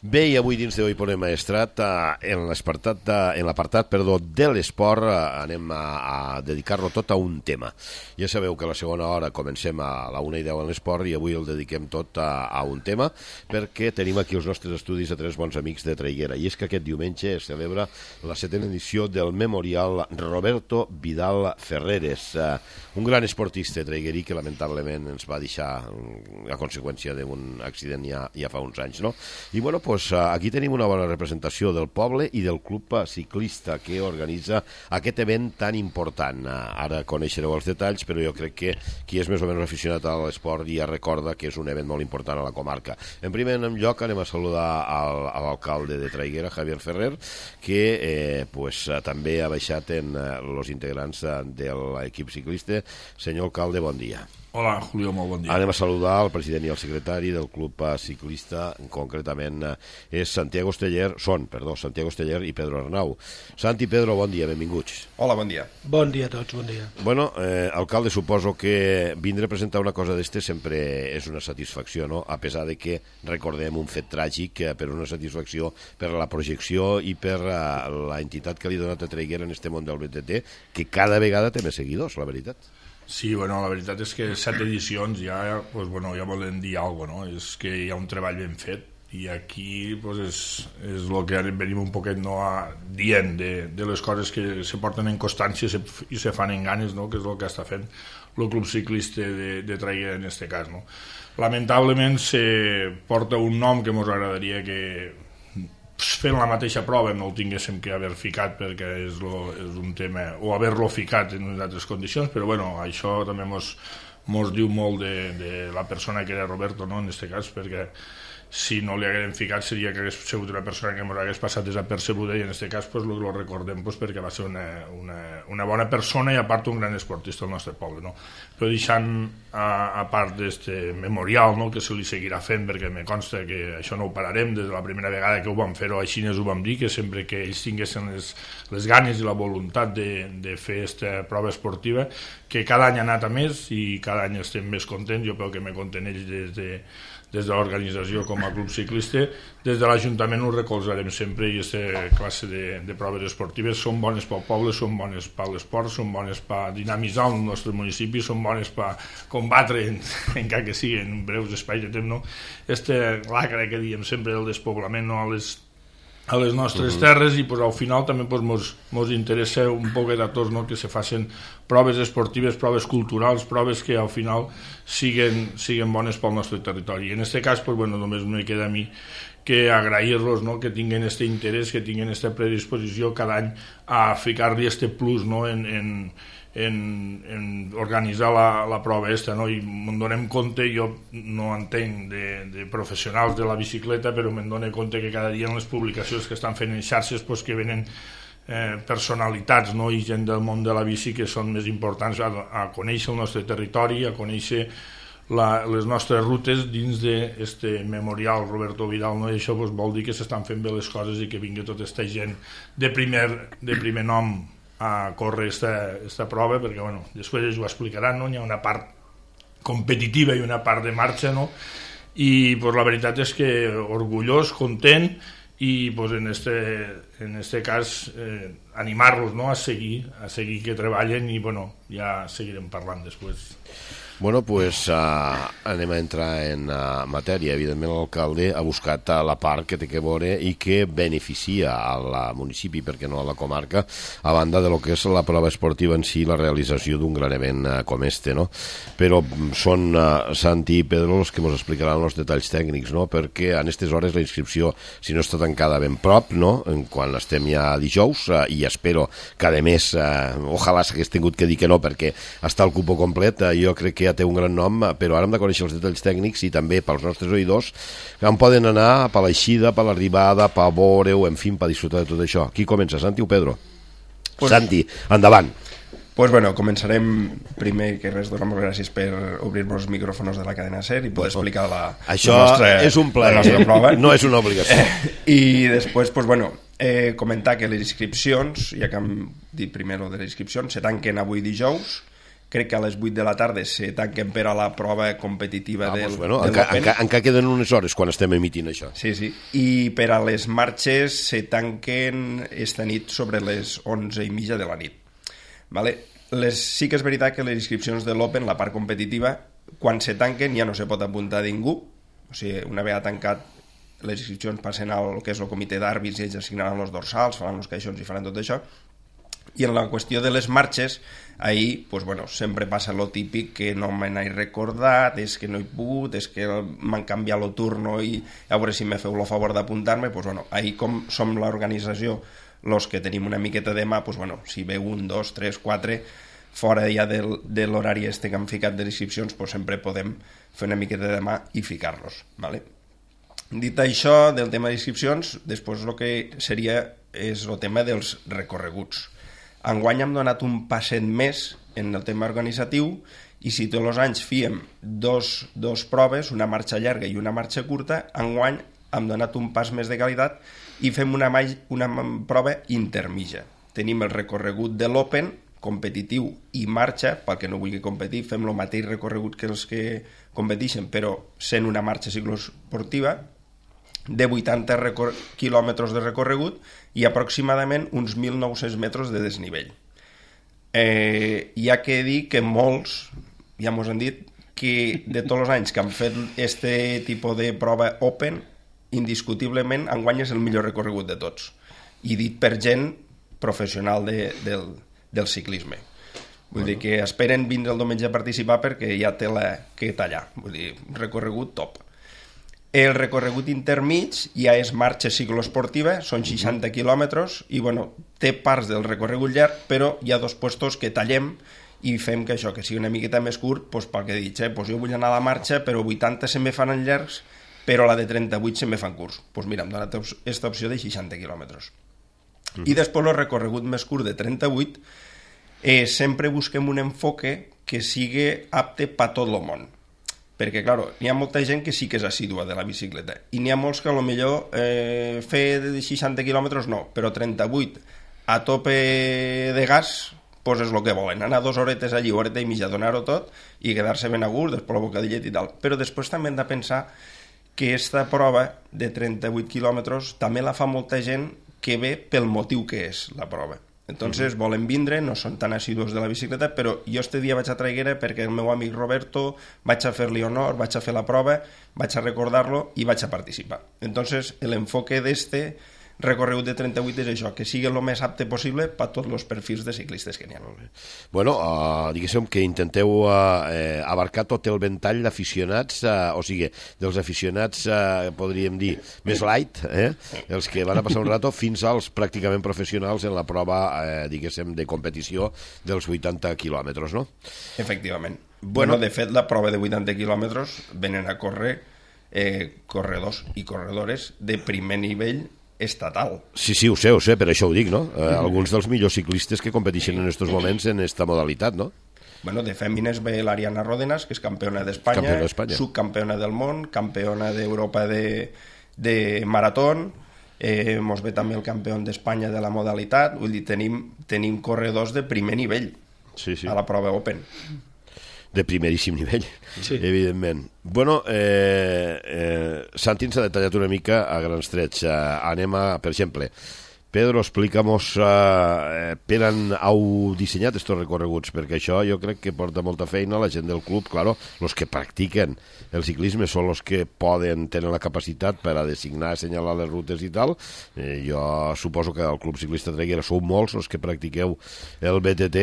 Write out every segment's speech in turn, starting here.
Bé, i avui dins de Hoy Pone Maestrat, en l'apartat de l'esport, anem a dedicar-lo tot a un tema. Ja sabeu que a la segona hora comencem a la 1:10 en l'esport i avui el dediquem tot a un tema perquè tenim aquí els nostres estudis a tres bons amics de Traiguera, i és que aquest diumenge es celebra la 7ª edició del Memorial Roberto Vidal Ferreres, un gran esportista traiguerí que lamentablement ens va deixar a conseqüència d'un accident ja fa uns anys, no? I bueno, pues aquí tenim una bona representació del poble i del club ciclista que organitza aquest event tan important. Ara coneixereu els detalls, però jo crec que qui és més o menys aficionat a l'esport ja recorda que és un event molt important a la comarca. En primer lloc anem a saludar a l'alcalde de Traiguera, Javier Ferrer, que també ha baixat en els integrants de l'equip ciclista. Senyor alcalde, bon dia. Hola, Julio, molt bon dia. Anem a saludar el president i el secretari del club ciclista, concretament és Santiago Esteller i Pedro Arnau. Santi i Pedro, bon dia, benvinguts. Hola, bon dia. Bon dia a tots, bon dia. Bueno, alcalde, suposo que vindre a presentar una cosa d'este sempre és una satisfacció, no? A pesar de que recordem un fet tràgic, però una satisfacció per la projecció i per la entitat que li ha donat a Traiguera en este món del BTT, que cada vegada té més seguidors, la veritat. Sí, bueno, la veritat és que 7 edicions ja volen dir alguna cosa, no? És que hi ha un treball ben fet i aquí és el que venim un poquet dient de les coses que se porten en constància i se fan en ganes, no? Que és el que està fent el club ciclista de Traiguera en aquest cas, no? Lamentablement se porta un nom que ens agradaria que fent la mateixa prova no el tinguéssim que haver ficat perquè és un tema, o haver-lo ficat en unes altres condicions, però bueno, això també mos diu molt de la persona que era Roberto, no? En aquest cas, perquè si no li haguem ficat seria que hagués sigut una persona que ens hagués passat desapercebuda i en aquest cas pues, lo recordem pues, perquè va ser una bona persona i a part un gran esportista del nostre poble, no? Però deixant a part d'aquest memorial, no? Que se li seguirà fent perquè me consta que això no ho pararem des de la primera vegada que ho vam fer-ho així ho vam dir, que sempre que ells tinguessin les ganes i la voluntat de fer aquesta prova esportiva, que cada any ha anat a més i cada any estem més contents, jo crec que me conten ells des de l'organització com a club ciclista, des de l'Ajuntament ho recolzarem sempre i aquesta classe de proves esportives són bones pel poble, són bones per l'esport, són bones per dinamitzar el nostre municipi, són bones per combatre, encara que sigui en breus espais de temps, no? Lacra que diem sempre del despoblament, no? A les nostres terres i pues, al final també pues, mos interessa un poquet a tots, no? Que se facin proves esportives, proves culturals, proves que al final siguen bones pel nostre territori. I en aquest cas pues, bueno, només me queda a mi que agrair-los, no? Que tinguin aquest interès, que tinguin aquesta predisposició cada any a ficar-li aquest plus, no? en organitzar la prova aquesta, no? I me'n donem compte, jo no entenc de professionals de la bicicleta, però me'n dono compte que cada dia en les publicacions que estan fent en xarxes pues, que venen personalitats, no? I gent del món de la bici que són més importants a conèixer el nostre territori, a conèixer les nostres rutes dins d'aquest memorial Roberto Vidal, no? I això pues, vol dir que s'estan fent bé les coses i que vingui tota aquesta gent de primer nom a córrer aquesta prova, perquè bueno, després ells ho explicaran, no? Hi ha una part competitiva i una part de marxa, no? I pues, la veritat és que orgullós, content i pues, en este cas animar-los, no? a seguir que treballen i bueno, ja seguirem parlant després. Bueno, pues anem a entrar en matèria. Evidentment l'alcalde ha buscat la part que té que veure i que beneficia al municipi, perquè no a la comarca, a banda de lo que és la prova esportiva en si, la realització d'un gran event com este, no? Però són Santi i Pedro els que ens explicaran els detalls tècnics, no? Perquè en aquestes hores la inscripció, si no està tancada ben prop, no? Quan estem ja dijous, i espero que a més, ojalà s'hagués tingut que dir que no, perquè està el cupo complet, jo crec que ja té un gran nom, però ara hem de conèixer els detalls tècnics i també pels nostres oïdors que en poden anar per l'eixida, per l'arribada, per veure-ho, en fi, per disfrutar de tot això. Qui comença, Santi o Pedro? Pues, Santi, endavant. Pues bueno, començarem primer que res, donar moltes gràcies per obrir-nos els micròfons de la cadena SER i poder explicar això és un plaer, la nostra prova. No és una obligació. I després, pues bueno, comentar que les inscripcions, ja que hem dit primer de les inscripcions, se tanquen avui dijous crec que a les 8 de la tarda se tanquen per a la prova competitiva del Open. Encara queden unes hores quan estem emitint això. Sí. I per a les marxes se tanquen esta nit sobre les 11:30 de la nit. Vale? Sí que és veritat que les inscripcions de l'Open, la part competitiva, quan se tanquen ja no se pot apuntar ningú. O sigui, una vegada tancat, les inscripcions passen al que és el comitè d'àrbits i ells assignaran els dorsals, faran els caixons i faran tot això. I en la qüestió de les marxes, ahir, pues bueno, sempre passa lo típic que no me n'he recordat, és que no he pogut, és que m'han canviat el turno i a veure si me feu el favor d'apuntar-me. Pues bueno, ahir com som l'organització, los que tenim una miqueta de mà, pues bueno, si ve 1, 2, 3, 4, fora ja de l'horari este que han ficat de inscripcions, pues sempre podem fer una miqueta de mà i ficar-los, ¿vale? Dit això del tema d'inscripcions, després el que seria és el tema dels recorreguts. Enguany hem donat un passet més en el tema organitzatiu i si tots els anys fíem dos proves, una marxa llarga i una marxa curta, enguany hem donat un pas més de qualitat i fem una prova intermitja. Tenim el recorregut de l'Open, competitiu i marxa, pel que no vulgui competir, fem el mateix recorregut que els que competeixen, però sent una marxa cicloesportiva, de 80 quilòmetres de recorregut i aproximadament uns 1.900 metres de desnivell. Hi ha que dir que molts, ja mos han dit, que de tots els anys que han fet este tipus de prova Open, indiscutiblement enguany és el millor recorregut de tots. I dit per gent professional del ciclisme. Vull dir que esperen vindre el diumenge a participar perquè ja té que tallar. Vull dir, recorregut top. El recorregut intermig ja és marxa cicloesportiva, són 60 quilòmetres i bueno, té parts del recorregut llarg, però hi ha 2 puestos que tallem i fem que això, que sigui una miqueta més curt, doncs pel que he dit, jo vull anar a la marxa, però 80 se me fan llargs, però la de 38 se me fan curts. Doncs mira, em dona aquesta opció de 60 quilòmetres. I després el recorregut més curt de 38, sempre busquem un enfoque que sigui apte per tot el món. Perquè, clar, n'hi ha molta gent que sí que és assídua de la bicicleta i n'hi ha molts que potser fer de 60 quilòmetres no, però 38 a tope de gas doncs és el que volen, anar 2 horetes allí, horeta i mitja, donar-ho tot i quedar-se ben a gust, després el bocadillet i tal. Però després també hem de pensar que aquesta prova de 38 quilòmetres també la fa molta gent que ve pel motiu que és la prova. Entonces volen vindre, no són tan assidus de la bicicleta, però jo este dia vaig a Traiguera perquè el meu amic Roberto vaig a fer-li honor, vaig a fer la prova, vaig a recordar-lo i vaig a participar. Entonces l'enfoque d'este recorregut de 38 és això, que sigui el més apte possible per tots els perfils de ciclistes que n'hi ha. Bueno, diguéssim que intenteu abarcar tot el ventall d'aficionats, o sigui, dels aficionats, podríem dir, més light, els que van a passar un rato, fins als pràcticament professionals en la prova, diguéssim, de competició dels 80 quilòmetres, no? Efectivament. Bueno, de fet, la prova de 80 quilòmetres venen a córrer corredors i corredores de primer nivell estatal. Sí, ho sé, per això ho dic, no? Alguns dels millors ciclistes que competeixen en aquests moments en aquesta modalitat, no? Bueno, de fèmines ve l'Ariana Ródenas, que és campiona d'Espanya, subcampiona del món, campiona d'Europa de maratón, mos ve també el campió d'Espanya de la modalitat, vull dir, tenim corredors de primer nivell a la prova Open. De primeríssim nivell, evidentment. Bueno, Santi ens ha detallat una mica a grans trets. Anem a, per exemple, Pedro, explícanos per on heu dissenyat estos recorreguts, perquè això jo crec que porta molta feina la gent del club, claro, los que practiquen el ciclisme són los que tenen la capacitat per a designar, assenyalar les rutes i tal. Jo suposo que al Club Ciclista Traiguera sou molts els que practiqueu el BTT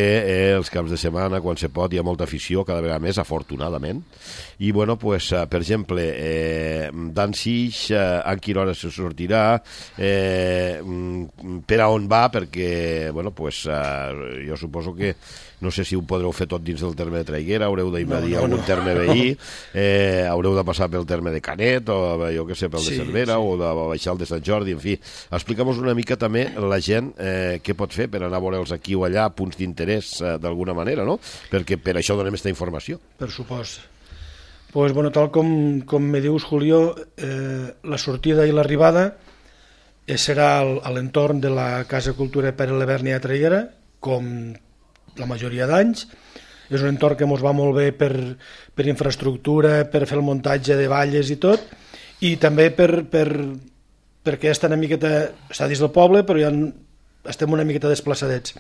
els caps de setmana, quan se pot, hi ha molta afició, cada vegada més, afortunadament. I, bueno, pues, per exemple, Dan Six, en quina hora se sortirà, per a on va, perquè, bueno, pues, jo suposo que no sé si ho podreu fer tot dins del terme de Traiguera, haureu d'invadir algun terme veí, haureu de passar pel terme de Canet, o jo què sé, pel de Cervera, o de baixar el de Sant Jordi, en fi. Explica'm-nos una mica també la gent què pot fer per anar a veure'ls aquí o allà, punts d'interès d'alguna manera, no? Perquè per això donem aquesta informació. Per supost. Pues, bueno, tal com me dius, Julio, la sortida i l'arribada serà a l'entorn de la Casa Cultura Pere Leverni a Traiguera, com la majoria d'anys, és un entorn que ens va molt bé per infraestructura, per fer el muntatge de valles i tot, i també perquè està una miqueta, està dins del poble, però ja estem una miqueta desplaçadets.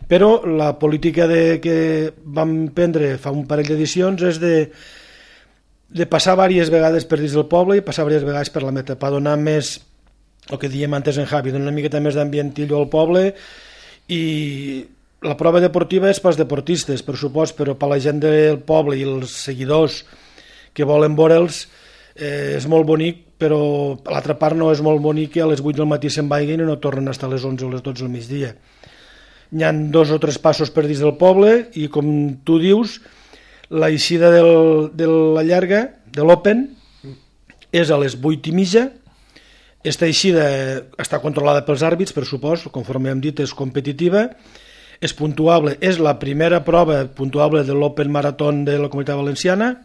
Però la política que vam prendre fa un parell d'edicions és de passar diverses vegades per dins del poble i passar diverses vegades per la meta, per donar més, el que diem antes en Javi, donar una miqueta més d'ambientillo al poble. I la prova deportiva és pels deportistes, per supost, però per la gent del poble i els seguidors que volen veure'ls és molt bonic, però a l'altra part no és molt bonic que a les 8 del matí se'n vagin i no tornen a estar a les 11 o les 12 del migdia. Hi ha 2 o 3 passos per dins del poble i, com tu dius, la eixida de la llarga, de l'Open, és a les 8:30. Esta eixida està controlada pels àrbits, per supost, conforme hem dit, és competitiva, és puntuable, és la primera prova puntuable de l'Open Maratón de la Comunitat Valenciana.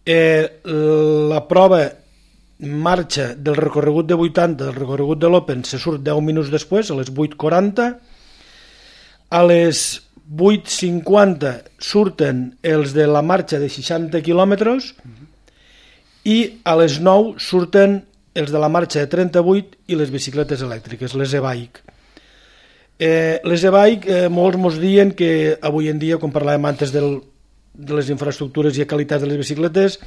La prova marxa del recorregut de 80, del recorregut de l'Open, se surt 10 minuts després, a les 8:40. A les 8:50 surten els de la marxa de 60 quilòmetres i a les 9 surten els de la marxa de 38 i les bicicletes elèctriques, les e-bike. Les e-bike, molts ens diuen que avui en dia, quan parlàvem antes de les infraestructures i qualitats de les bicicletes,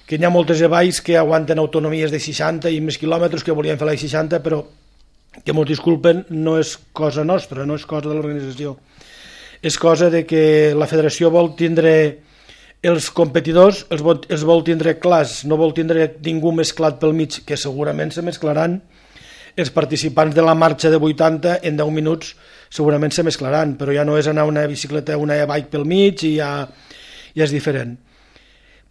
que hi ha moltes e-bikes que aguanten autonomies de 60 i més quilòmetres, que volien fer la 60, però que ens disculpen, no és cosa nostra, no és cosa de l'organització. És cosa de que la federació vol tindre els competidors, els vol tindre clars, no vol tindre ningú mesclat pel mig, que segurament se mesclaran. Els participants de la marxa de 80 en 10 minuts segurament se mesclaran, però ja no és anar una bicicleta, una e-bike pel mig i ja és diferent.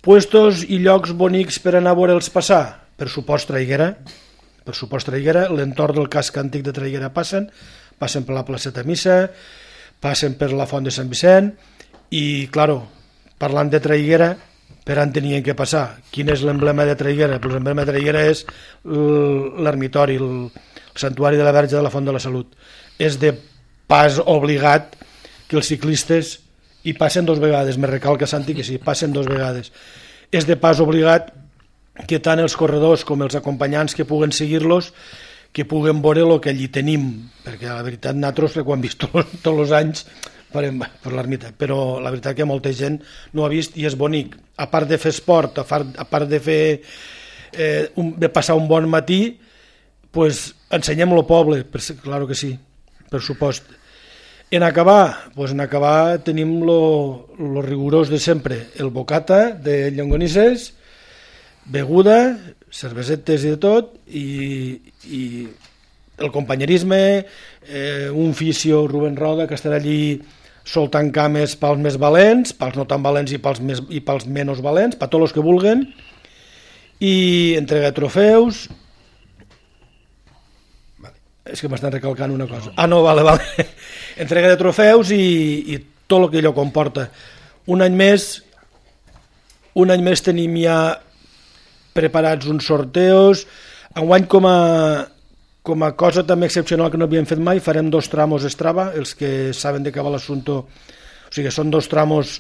Puestos i llocs bonics per anar a veure'ls passar, per supost Traiguera, l'entorn del casc antic de Traiguera passen per la placeta Missa, passen per la font de Sant Vicent i, claro, parlant de Traiguera, per on tenien que passar. Quin és l'emblema de Traiguera? Pues l'emblema de Traiguera és l'ermitori, el santuari de la Verge de la Font de la Salut. És de pas obligat que els ciclistes hi passen 2 vegades, me recalca Santi que sí, passen 2 vegades. És de pas obligat que tant els corredors com els acompanyants que puguen seguir-los, que puguen veure el que allí tenim, perquè la veritat nosaltres ho hem vist tots els anys per l'ermita, però la veritat que molta gent no ho ha vist i és bonic. A part de fer esport, a part de fer de passar un bon matí, pues ensenyem el poble, claro que sí, per supost. En acabar tenim lo rigorós de sempre, el bocata de llonganisses, beguda, cervesetes i de tot, i el companyerisme, un fisio, Rubén Roda, que estarà allí soltant cames pels més valents, pels no tan valents i pels menys valents, per tots els que vulguen, i entrega de trofeus. És que m'estan recalcant una cosa. Vale. Entrega de trofeus i tot el que allò comporta. Un any més tenim ja preparats uns sorteos. Enguany, com a cosa també excepcional que no havíem fet mai, farem 2 tramos Strava, els que saben de què va l'assumpte. O sigui, són 2 tramos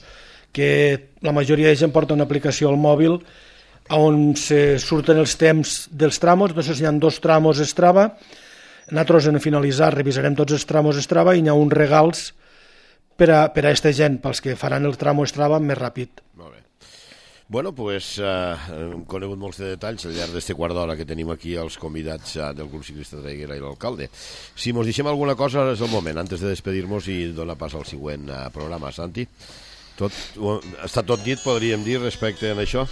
que la majoria de gent porta una aplicació al mòbil on se surten els temps dels tramos. Entonces hi ha 2 tramos Strava. Nosaltres, en finalitzar, revisarem tots els tramos Strava i hi ha uns regals per a aquesta gent, pels que faran el tramo Strava més ràpid. Molt bé. Bueno, pues hem conegut molts de detalls al llarg d'este quart d'hora que tenim aquí els convidats del Club Ciclista Traiguera i l'alcalde. Si mos deixem alguna cosa és el moment, antes de despedir-nos i donar pas al següent programa. Santi, està tot dit, podríem dir, respecte a això?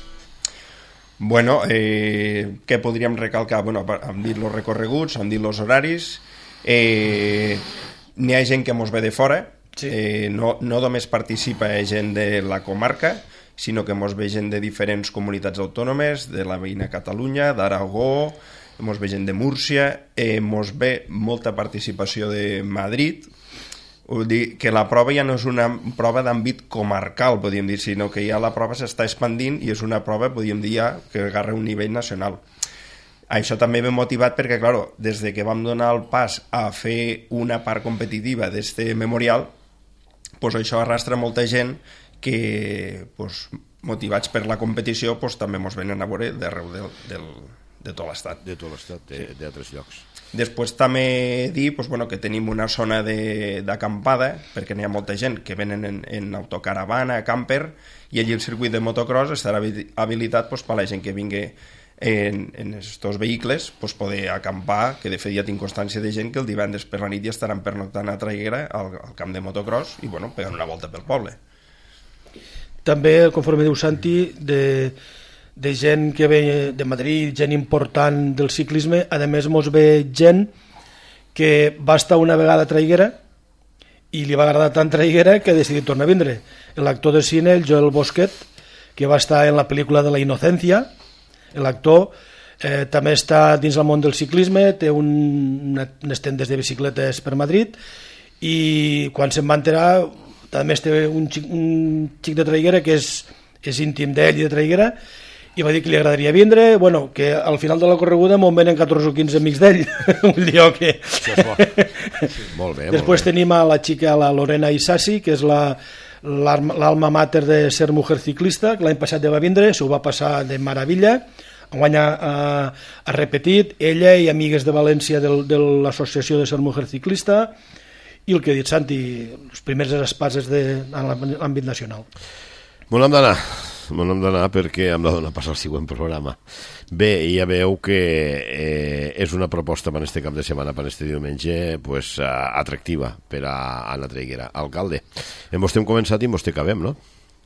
Bueno, què podríem recalcar? Bueno, hem dit els recorreguts, hem dit els horaris, n'hi ha gent que mos ve de fora, sí. No només participa gent de la comarca, sinó que mos ve gent de diferents comunitats autònomes, de la veïna Catalunya, d'Aragó, mos ve gent de Múrcia, mos ve molta participació de Madrid. Vull dir que la prova ja no és una prova d'àmbit comarcal, podríem dir, sinó que ja la prova s'està expandint i és una prova, podríem dir, ja que agarra un nivell nacional. Això també ve motivat perquè, clar, des de que vam donar el pas a fer una part competitiva d'este memorial, pues això arrastra molta gent que, pues, motivats per la competició, pues, també ens venen a veure d'arreu de tot l'estat. De tot l'estat, d'altres llocs. Després també dir pues, bueno, que tenim una zona d'acampada, perquè n'hi ha molta gent que venen en autocaravana, camper, i allí el circuit de motocross estarà habilitat pues, per a la gent que vingui en aquests vehicles pues, poder acampar, que de fet ja tinc constància de gent que el divendres per la nit ja estaran pernoctant a Traiguera al camp de motocross i bueno, pegant una volta pel poble. També, conforme diu Santi, de gent que ve de Madrid, gent important del ciclisme, a més mos ve gent que va estar una vegada a Traiguera i li va agradar tant Traiguera que ha decidit tornar a vindre. L'actor de cine, el Joel Bosquet, que va estar en la pel·lícula de la Inocencia, l'actor també està dins el món del ciclisme, té unes tendes de bicicletes per Madrid i quan se'n va enterar també té un xic de Traiguera que és íntim d'ell i de Traiguera i va dir que li agradaria vindre, bueno, que al final de la correguda m'on venen 14 o 15 amics d'ell. Això és bo. Molt bé. Després tenim a la xica, la Lorena Isasi, que és l'alma mater de Ser Mujer Ciclista, que l'any passat ja va vindre, s'ho va passar de meravella, enguany ha repetit, ella i amigues de València de l'associació de Ser Mujer Ciclista, i el que ha dit Santi, les primeres espases en l'àmbit nacional. Bon hem d'anar perquè hem de donar pas al següent programa. Bé, ja veieu que és una proposta per aquest cap de setmana, per aquest diumenge, pues, atractiva per a Anna Traiguera. Alcalde, hem començat i hem acabem, no?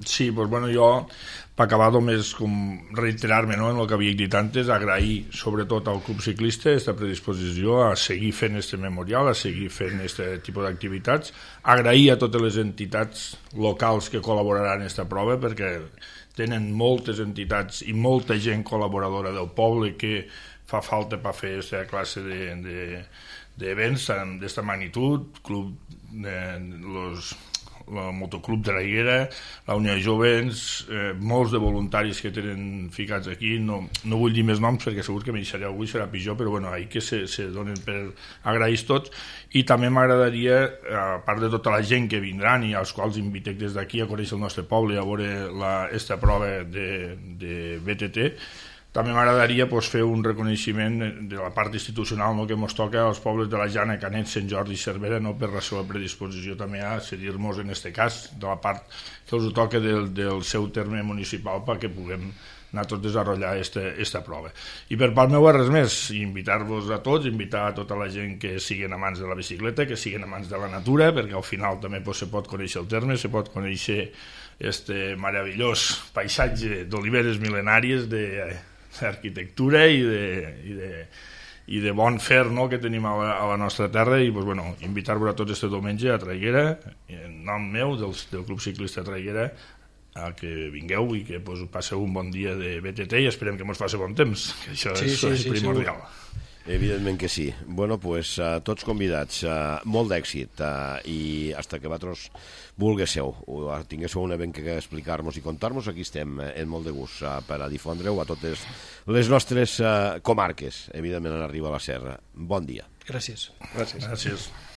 Sí, doncs bueno, jo, per acabar només com reiterar-me en el que havia dit antes, agrair sobretot al Club Ciclista aquesta predisposició a seguir fent este memorial, a seguir fent aquest tipus d'activitats, agrair a totes les entitats locals que col·laboraran en aquesta prova, perquè tenen moltes entitats i molta gent col·laboradora del poble que fa falta per fer aquesta classe d'events d'aquesta magnitud, el Motoclub de Traiguera, la Unió de Jovens, molts de voluntaris que tenen ficats aquí, no vull dir més noms perquè segur que me deixaré algú i serà pitjor, però bueno, ahir que se donen per agrair tots, i també m'agradaria, a part de tota la gent que vindran i als quals invitec des d'aquí a conèixer el nostre poble i a veure aquesta prova de BTT, també m'agradaria fer un reconeixement de la part institucional que ens toca als pobles de la Jana, Canet, Sant Jordi i Cervera, per la seva predisposició també a cedir-nos en aquest cas, de la part que els toca del seu terme municipal perquè puguem anar tots a desenvolupar aquesta prova. I per part meva res més, invitar-vos a tots, invitar a tota la gent que siguin amants de la bicicleta, que siguin amants de la natura, perquè al final també se pot conèixer el terme, se pot conèixer este meravellós paisatge d'oliveres mil·lenàries d'arquitectura i de bon fer que tenim a la nostra terra i invitar-vos a tots este diumenge a Traiguera, en nom meu del Club Ciclista Traiguera, a que vingueu i que passeu un bon dia de BTT i esperem que ens faci bon temps, que això és primordial. Evidentment que sí. Bueno, pues tots convidats, molt d'èxit i hasta que vosaltres vulguéssiu o tinguéssiu un event que explicar-nos i contar-nos, aquí estem en molt de gust per a difondre-ho a totes les nostres comarques, evidentment en Arriba a la Serra. Bon dia. Gràcies. Gràcies.